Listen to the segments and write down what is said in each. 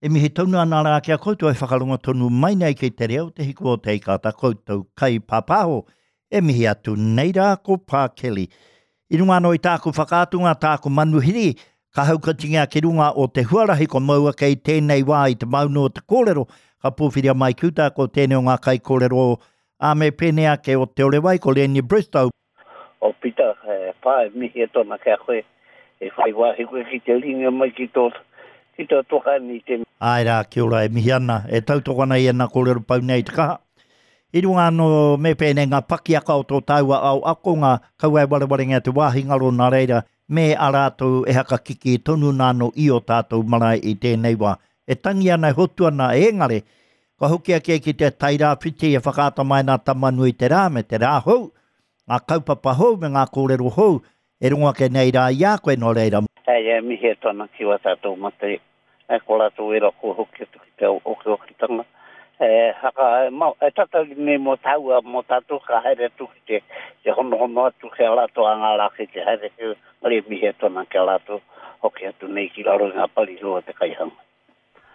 E mihi tonu ana rā ki a koutou e whakarongo tonu mai nei ki te reo, te hiku o te ika, ta koutou kai pāpāho. E mihi atu nei rā ko Pā Kelly. I runga anō i tāku whakaatunga, tāku manuhiri, ka haukatingia ki runga o te huarahi ko maua kei tēnei wā i te maunu o te kōrero, ka pōwhiria mai ki uta ko tēnei o ngā kaikōrero ā me pēnei ake o Te Orewai, ko Lenny Bristow. O Pita, e pā, e mihi atu ana ki a koe, e whai wāhi koe ki te ringa mai ki tō, ki tō toka i te. Āe rā, kia ora, e mihi ana, e tautoko ana i ēnā kōrero pau nei i te kaha. I runga anō me pēnei ngā pakiaka o tō tāua ao akonga, kaua e warewarengia te wāhi ngaro nā reira, me a rātou e hakakikī tonu nā anō i ō tātou marae i tēnei wā. E tangi ana, e hotu ana, ēngare, kua hoki ake ki te Tairāwhiti e whakaata mai ana Tama-nui-te-rā me te rā hou, ngā kaupapa hou me ngā kōrero hou e rongo ake nei rā i a koe, nō reira. Hei, e mihi atu ana ki wā tātou mate, e ko rātou ērā kua hoki atu ki te okiokitanga, e haka, e, ma, e tatari nei mō tāua, mō tātou ka haere atu ki te, te honohono atu ki a rātou a ngā rā kei te haere, engari e mihi atu ana ki a rātou, hoki atu nei ki raro i ngā parirau o te kaihanga.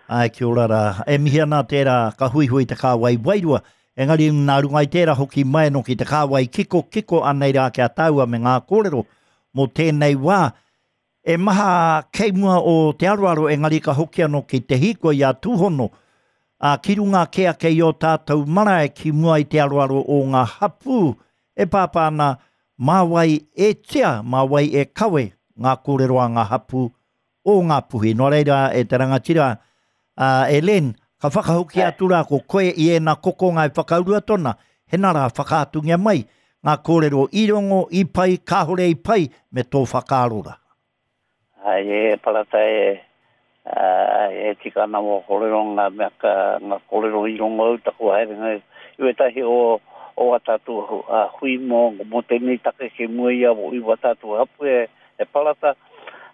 Āe, kia ora rā. E mihi ana tērā ka huihui te kāwai wairua, engari nā runga i tērā hoki mai anō ki te kāwai kiko, kiko anei rā ki a tāua me ngā kōrero mō tēnei wā. E maha kei mua o te aroaro engari ka hoki anō ki te hīkoi a Tūhono, ā, ki runga kē ake i ō tātou marae ki mua i te aroaro o ngā hapū e pāpā ana mā wai e tia, mā wai e kawe ngā kōrero a ngā hapū o Ngāpuhi. Nō reira, e te rangatira, a, e Len, ka whakahokia atu rā ko koe i ēnā kokonga e whakaurua tona, hena rā whakaatungia mai ngā kōrero i rongo, i pai, kāore i pai, me tō whakaaro rā. Ai, e Parata, e, ai, e tika ana wō kōrero, ngā mea ka, ngā kōrero i rongo au taku haerenga i wētahi o, o wā tātou hui mō, mō tēnei take ki mua i a, i wā tātou hapū e, e Parata,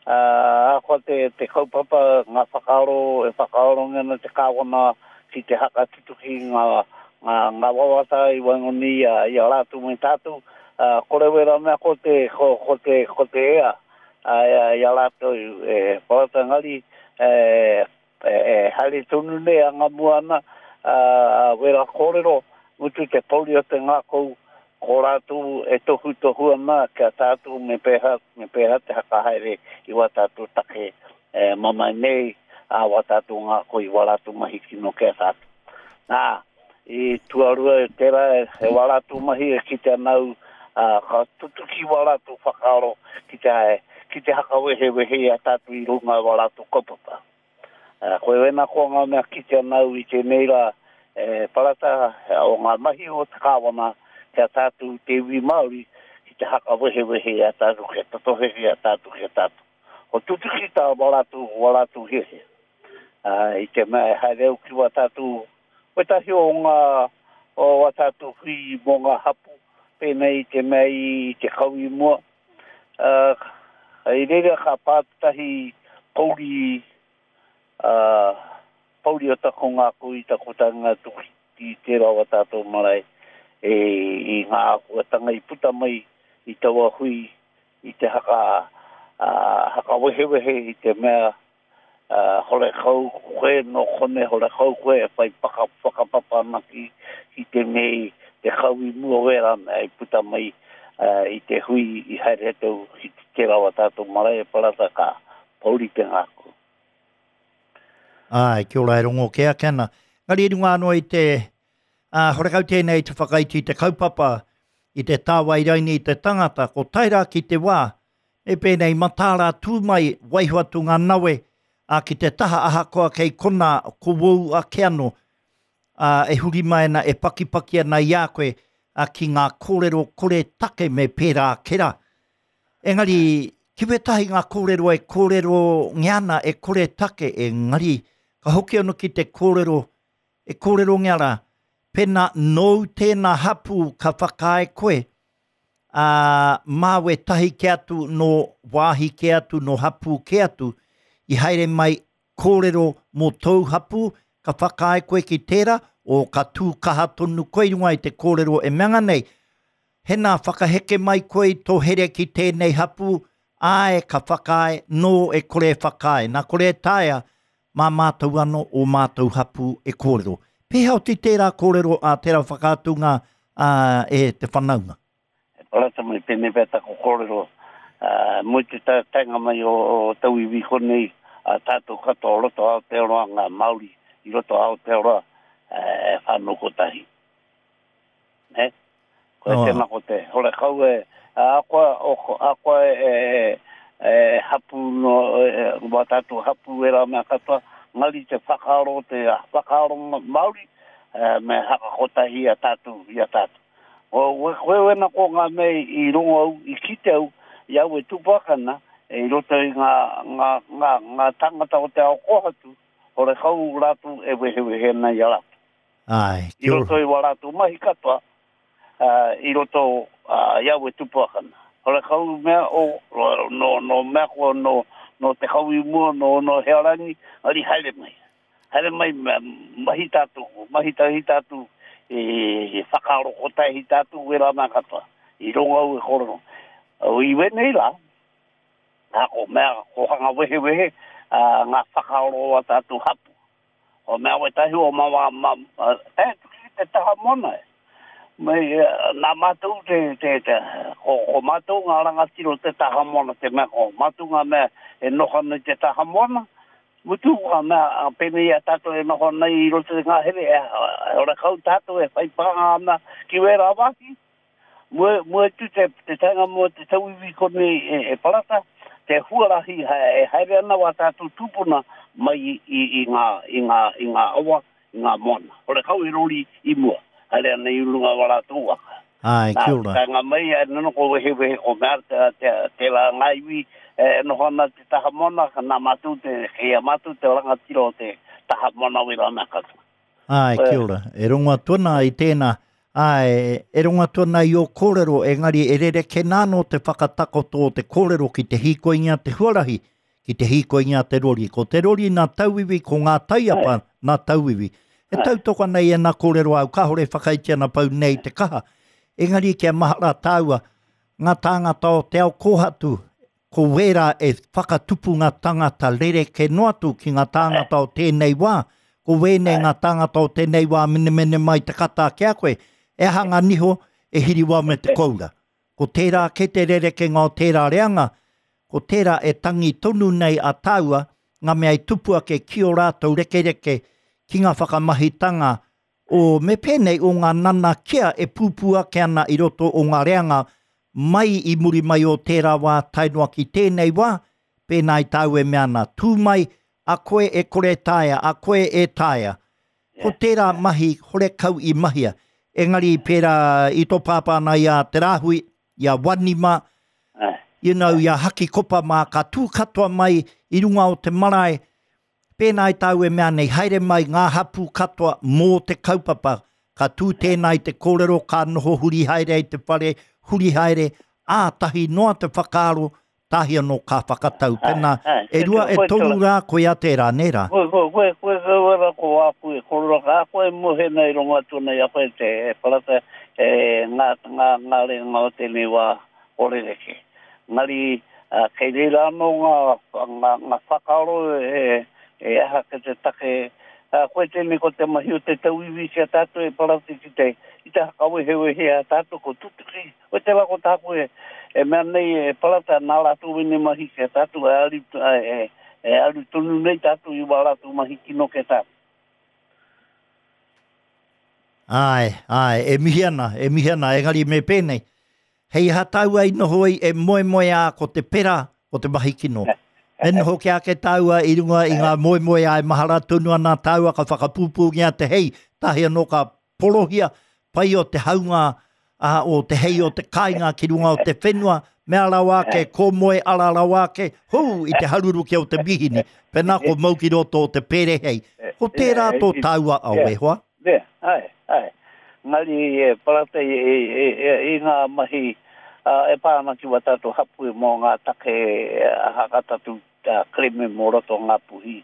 ā, ahakoa te, te kaupapa, ngā whakaaro e whakaarongia ana te Kāwana ki te haka tutuki i ngā, ngā, ngā wawata i waenganui i a, i a rātou me tātou, ā, kore wera mea ko te, ko, ko te, ko te ea, ā, i a rātou e Parata engari, e, E haere tonu nei a Ngamua ana, a wera kōrero, mutu te pouri o te ngākau, ko rātou e tohutohu ana ki a tātou me pēhea, me pēhea te hakahaere i wā tātou take e mamae nei, ā, wā tātou ngākau i wā rātou mahi kino ki a tātou. Nā, i tuarua tērā e wā rātou mahi e kite ana au, ā, ka tutuki wā rātou whakaaro ki te, ki te hakawehewehe i a tātou i runga i wā rātou kaupapa. Ā, koe wēnā koa ngā mea kite ana au i tēnei rā, e Parata, o ngā mahi o te Kāwana ki a tātou te iwi Māori, ki te hakawehewehe i a tātou, kia tatohe i a tātou ki a tātou. Ko tutuki tā wā rātou, wā rātou hiahia. Ā, i te mea e haere au ki wā tātou, wētahi o ngā, o wā tātou hui mō ngā hapū, pēnei i te mea i te kau i mua, ā, i reira ka pā tētahi pouri, ā, pouri o taku ngākau i taku taenga atu ki tērā o wā tātou marae, e, i ngā āhuatanga i puta mai i taua hui i te haka, ā, hakawehewehe i te mea, ā, horekau koe nō konei, horekau koe e whai paka, whakapapa ana ki, ki tēnei te kau i mua wērā mea i puta mai ā, i te hui i haere atu ki tērā o ā tātou marae e Parata ka pouri te ngākau. Āe, kia ora e rongo kē ake ana. Engari i runga anō i te, ā, horekau tēnei te whakaiti i te kaupapa, i te tāwai raini i te tangata, ko tae rā ki te wā, Me pēnei, mataara tū mai, waiho atu ngā nawe, ā, ki te taha ahakoa kei konā, ko wōu ake anō, ā, e huri mai ana, e pakipaki ana i a koe, ā, ki ngā kōrero kore take me pērā ake rā. Engari, ki wētahi ngā kōrero e kōrerongia ana e kore take, engari, ka hoki anō ki te kōrero e kōrerongia rā, pēnā nōu tēnā hapū ka whakaae koe, ā, mā wētahi kē atu nō wāhi kē atu, nō hapū kē atu, i haere mai kōrero mō tōu hapū, ka whakaae koe ki tērā, o ka tū kaha tonu koe i runga i te kōrero e mea nei, Hena, whakaheke mai koe i tō here ki tēnei hapū, āe, ka whakaae, nō e kore e whakaae. Nā kore e taea. Mā mātou anō ō mātou hapū e kōrero. Pēhea oti tērā kōrero a tērā whakaatunga a e te whanaunga? E parata mai pēnei pea taku kōrero, mua i te taenga mai o tauiwi konei, a tātou katoa o roto Aotearoa, ngā Māori i roto Aotearoa, e whānau kotahi. Nē? Koe oh. tēnā ko te horekau e, akoa, akoa e, e, e, hapu no, e, wā tātou hapu e rā mea katoa, ngari te whakaaro, te whakaaro Māori, e, me hakakotahi a tātou, i a tātou. O, koe wena ko ngā mea i rongo au, i kite au, i au e tupu ake ana, e i roto i ngā, ngā, ngā, ngā tāngata o te ao kōhatu, horekau rātou e wehewehe ana i a rātou. Āe, I kia ora. roto i wā rātou mahi katoa, ā, i roto i au e tupu ake ana. Horekau mea o, nō, nō mea koa, nō, nō te kau i mua, nō, nō hea rangi, engari haere mai. Haere mai, mahi tātou, mahi tahi tātou, i whakaaro kotahi tātou, wērā mea katoa. I rongo au e kōrero. I wēnei rā, nā, ko mea, ko hanga wehewehe, ā, ngā whakaaro o ā tātou hapū. O mea wetahi o ma ma ma tae atu ki te taha moana e. Me nā mātou te te te ko ko mātou ngā rangatira o te taha moana te mea ko mātou ngā mea e noho ana i te taha moana. Mutu ngā mea pēnei i a tātou e noho ana i roto i te ngahere e horekau tātou e whai pānga ana ki wērā wāhi. Mua, mua atu te, te taenga mua te tauiwi konei e, e Parata, te huarahi e haere ana wā tātou tūpuna mai i, i, i, ngā, i, ngā, i ngā awa, i ngā moana. Horekau he rori i mua, haere ana i runga wā rātou waka. Āe, kia ora. Nā, taenga mai, e nono ko wehewehe, ko mea te, te, tērā ngā iwi e noho ana te taha moana, nā mātou te, kei a mātou te rangatira o te taha moana wera mea katoa. Āe, kia ora. E rongo atu ana i tēnā. Āe, e rongo atu ana i ō kōrero, engari e rerekē nā anō te whakatakoto o te kōrero ki te hīkoingia te huarahi, ki te hīkoingia te rori. Ko te rori nā tauiwi, ko ngā taiapa nā tauiwi. E tautoko ana i ēnā kōrero āu, kāore e whakaitia ana pau nei te kaha. Engari kia mahara tāua, ngā tāngata o te ao kōhatu, Ko wērā e whakatupu ngā tangata rerekē noa atu ki ngā tāngata o tēnei wā, ko wēnei ngā tāngata o tēnei wā menemene mai te kata ki a koe, e aha ngā niho e hiriwa me te koura. Ko tērā kē te rerekenga o tērā reanga, ko tērā e tangi tonu nei a tāua, ngā mea i tupu ake ki ō rātou rekereke, ki ngā whakamahitanga o me pēnei o ngā nanakia e pūpū ake ana i roto o ngā reanga mai i muri mai o tērā wā tae noa ki tēnei wā, pēnā i tāu e mea ana, tū mai, a koe e kore taea, a koe e taea. Ko tērā mahi horekau i mahia. Engari pērā i tō pāpā ana i a Te Rāhui, i a Wani mā, you know, i a Haki Kopa mā, ka tū katoa mai i runga o te marae, Pēnā i tāu e mea nei, haere mai ngā hapū katoa mō te kaupapa, ka tū tēnā i te kōrero, ka noho huri haere ai te whare, huri haere, ā, tahi noa te whakaaro, tahi anō ka whakatau. Pēnā, e rua, e toru rā, koia tērā, nē rā? Koe, koe, koe, koe kau ara ko āku e kōrero, ka koe e mohe nei rongo atu nei a koe te parata e ngā, ngā, ngā reanga o tēnei wā o rerekē. Engari, kei reira anō ngā, ngā, ngā whakaaro e, e aha ki te take, koe tēnei ko te mahi o te tauiwi ki a tātou e parati ki te, i te hakawehewehe a tātou ko tutuki. Koe tērā ko tāku e, e mea nei e parata nā rātou wēnei mahi ki a tātou e aru, e, e aru tonu nei tātou i wā rātou mahi kino ki a tātou. Āe, āe, e mihi ana, e mihi ana, engari me pēnei, Hei aha tāua i noho ai e moemoeā ko te pera, ko te mahi kino. Me noho kia ake tāua i runga i ngā moemoeā e mahara tonu ana tāua ka whakapūpūngia te hei, tahi anō ka porohia, pai o te haunga a, o te hei o te kāinga ki runga o te whenua, mea rawa ake, ko moe ara rawa ake, hū, i te haruruke o te mihini, pēnā ko mau ki roto o te pere hei. Ko tērā tō tāua ao e hoa. Nē, āe, āe. Engari e parata i, i, i, i ngā mahi e pā ana ki wā tātou hapū mō ngā take aha ka tātou kerēme mō roto o Ngāpuhi.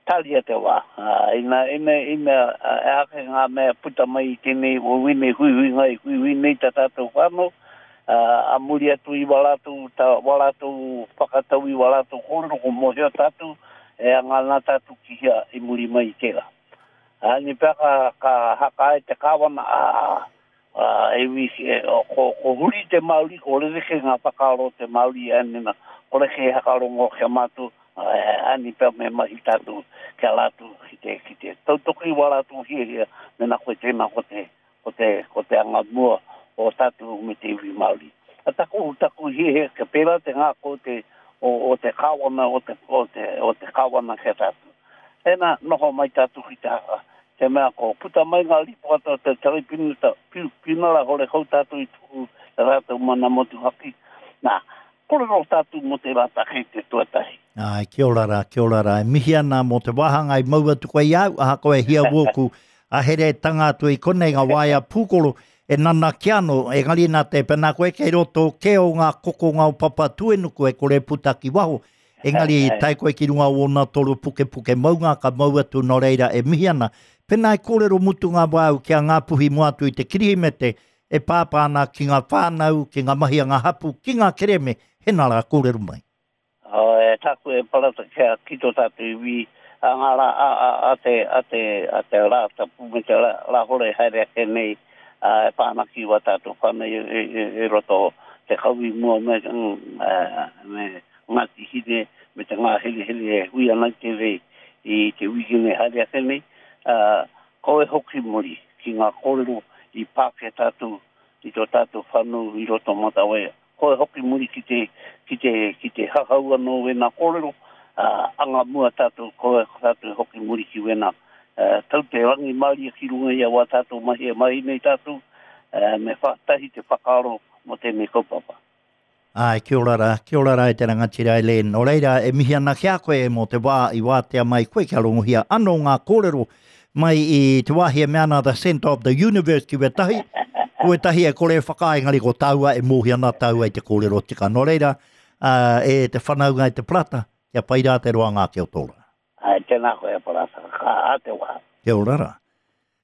Tāria te wā. Ina, ina, ina e ake ngā mea puta mai i tēnei, o wēnei huihuinga i huihui nei tā tātou whānau, a muri atu i wā rātou, tā, wā rātou whakatau i wā rātou kōrero, ko mōhio tātou. E anga ana tātou ki hea i muri mai i tērā. Ā, ni pea ka, ka haka ai te kāwana, ā, ā, e iwi, e, ko, ko huri te Māori, ko rerekē ngā whakaaro o te Māori, ā, nena, kore kē hakarongo ki a mātou, ā, ā, ni pea me mahi tātou ki a rātou, ki te, ki te tautoko i wā rātou hiahia, mena koe tēnā ko te, ko te, ko te anga mua o tātou me te iwi Māori. A taku, taku hiahia kia pērā te ngākau te, o, o te kāwana, o te, o te, o te kāwana ki a tātou. Tēnā, noho mai tātou ki te haka, te mea ko puta mai ngā rīpoata o te taraipiunara, piunara horekau tātou i tuku i a rātou mana motuhake. Nā, kōrero tātou mō tērā take i te tuatahi. Āe, kia ora rā, kia ora rā. E mihi ana mō te wāhanga i mau atu koe i a au, ahakoa e hia wōku aheretanga atu i konei ngā waea pūkoro e nanakia anō, engari nā te pēnā koe kei roto kē o ngā kokonga o Papatūenuku e kore e puta ki waho, engari i tae koe ki runga o ōna toro pukepuke maunga ka mau atu nō reira e mihi ana. Pēnā e kōrero mutunga wā au ki a Ngāpuhi mua atu i te Kirihimete e pāpā ana ki ngā whānau, ki ngā mahi a ngā hapū, ki ngā kerēme, hena rā kōrero mai. E tāku e Parata kia ki tō tātou iwi a ngā rā a, a, a te, a te, a te rā tapu me te rā, rāhore haere ake nei a, e pā ana ki wā tātou whānau i, i, i, i roto te kaui mua me, me Ngāti Hine me te ngāherehere e hui ana i te rei i te wikene haere ake nei, ā, kau e hoki muri ki ngā kōrero i pā ki a tātou i tō tātou whānau i roto Matawaia. Koi hoki muri ki te, ki te, ki te hahau anō wēnā kōrero, ā, anga mua tātou, koi tātou e hoki muri ki wēnā. Ā, tau te rangimārie ki runga i a wā tātou mahi e mahi nei tātou, ā, me whātahi te whakaaro mō tēnei kaupapa. Āe, kia ora rā, kia ora rā e te rangatira Eileen. Nō reira, e mihi ana ki a koe mō te wā i wātea mai koe kia rongohia anō ngā kōrero mai i te wāhi e mea ana The Centre of the Universe ki wētahi, ko wētahi e kore e whakaae engari ko tāua e mōhio ana tāua i te kōrero tika. Nō reira, e te whanaunga e te Parata, kia pai rā te roanga ake o tō rā. Āe, tēnā koe e Parata, ka ā te wā. Kia ora rā.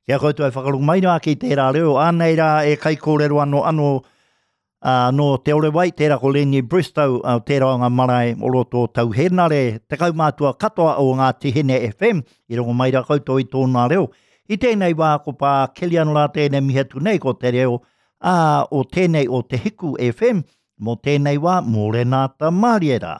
Ki a koutou e whakarongo mai rā ki tērā reo, ānei rā e kaikōrero anō anō Ā, nō Te Orewai, tērā ko Lenny Bristow, ā, tērā o ngā marae o roto o Tau Hēnare, te kaumātua katoa o Ngāti Hine FM, i rongo mai rā koutou i tōna reo. I tēnei wā, ko Pā Kilian rā tēnei mihi atu nei, ko te reo, ā, o tēnei o Te Hiku FM, mō tēnei wā, mōrena ta mārie rā.